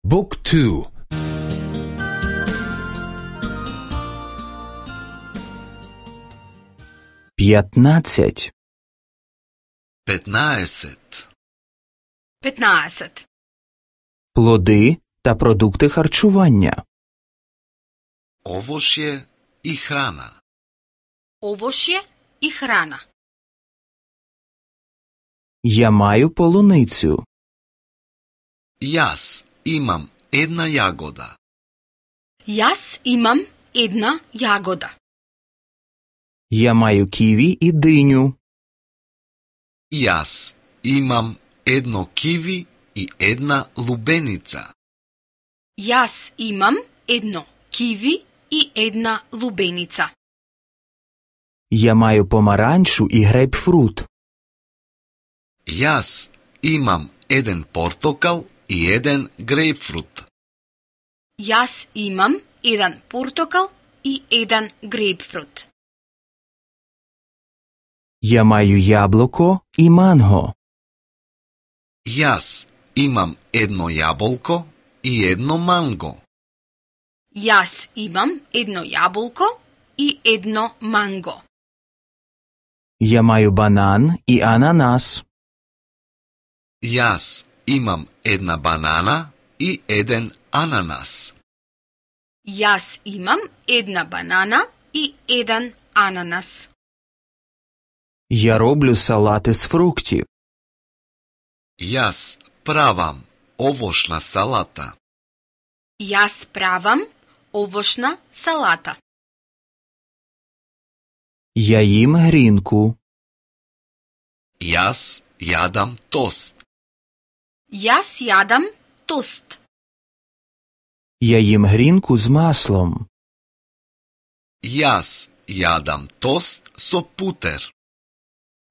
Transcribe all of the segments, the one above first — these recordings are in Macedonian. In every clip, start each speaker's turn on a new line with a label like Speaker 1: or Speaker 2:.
Speaker 1: Book 2.
Speaker 2: 15.
Speaker 3: 15.
Speaker 4: 15.
Speaker 2: Плоди та продукти харчування.
Speaker 3: Овошје и храна.
Speaker 4: Овошје и храна.
Speaker 2: Я маю полуницю.
Speaker 3: Јас имам една јагода.
Speaker 4: Јас имам една јагода.
Speaker 2: Я маю киві і диню.
Speaker 3: Јас имам едно киви и една лубеница.
Speaker 4: Јас имам едно киви и една лубеница.
Speaker 2: Я маю помаранчу і грейпфрут.
Speaker 3: Јас имам еден портокал и еден грейпфрут.
Speaker 4: Јас имам еден портокал и еден грейпфрут.
Speaker 2: Я маю јаблоко і манго.
Speaker 3: Јас имам едно јаболко и едно манго.
Speaker 4: Јас имам едно јаболко и едно манго.
Speaker 2: Я маю банан і ананас.
Speaker 3: Јас имам една банана и еден ананас.
Speaker 4: Јас имам една банана и еден ананас.
Speaker 2: Я роблю салати з фруктів.
Speaker 3: Јас правам овошна салата.
Speaker 4: Јас правам овошна салата.
Speaker 2: Я їм грінку.
Speaker 3: Јас јадам тост.
Speaker 4: Јас јадам тост.
Speaker 2: Я їм грінку з маслом.
Speaker 3: Јас јадам тост со путер.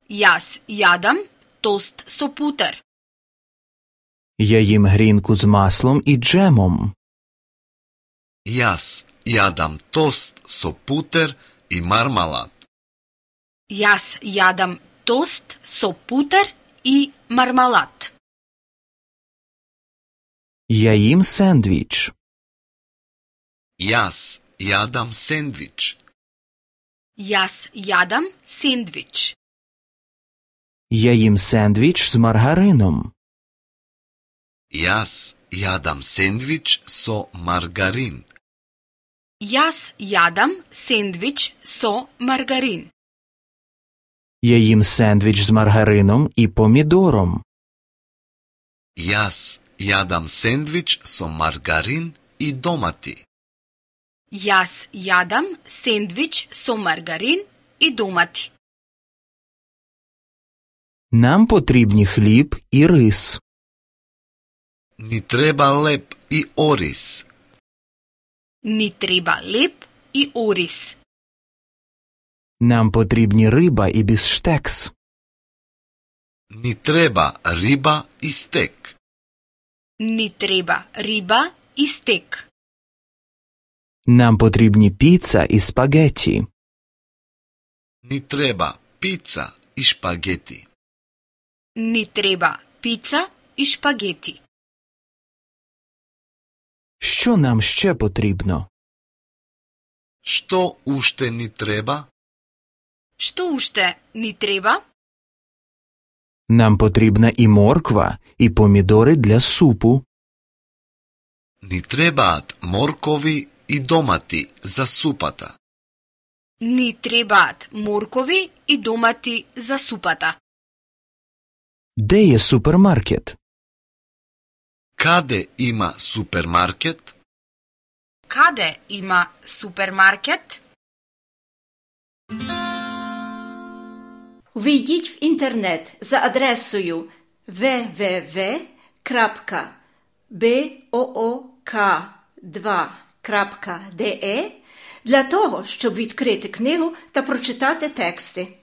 Speaker 4: Јас јадам тост со путер.
Speaker 2: Я їм грінку з маслом і джемом.
Speaker 3: Јас јадам тост со путер и мармалад.
Speaker 4: Јас јадам тост со путер и мармалад.
Speaker 2: Я їм сендвіч.
Speaker 3: Јас јадам сендвич.
Speaker 4: Јас јадам сендвич.
Speaker 2: Я їм сендвіч з маргарином.
Speaker 3: Јас јадам сендвич со маргарин.
Speaker 4: Јас јадам сендвич со маргарин.
Speaker 2: Я їм сендвіч з маргарином і помідором.
Speaker 3: Јас јадам сендвич со маргарин и домати.
Speaker 4: Јас јадам сендвич со маргарин и домати.
Speaker 2: Нам потрібні хліб і рис.
Speaker 3: Ни треба леп и орис.
Speaker 4: Ни треба леп и орис.
Speaker 2: Нам потрібні риба і біфштекс.
Speaker 3: Ни треба риба и стек.
Speaker 4: Ни треба риба и стек.
Speaker 2: Нам потрібні піца і спагеті.
Speaker 3: Ни треба пица и шпагети.
Speaker 4: Ни треба пица и шпагети.
Speaker 2: Що нам ще потрібно?
Speaker 3: Што уште ни треба?
Speaker 4: Што уште ни треба?
Speaker 2: Нам потрібна і морква, і помідори для супу.
Speaker 3: Ни требаат моркови и домати за супата.
Speaker 4: Ни требаат моркови и домати за супата.
Speaker 2: Де є супермаркет?
Speaker 3: Каде има супермаркет?
Speaker 4: Каде има супермаркет?
Speaker 5: Війдіть в інтернет за адресою www.book2.de для того, щоб відкрити книгу та прочитати тексти.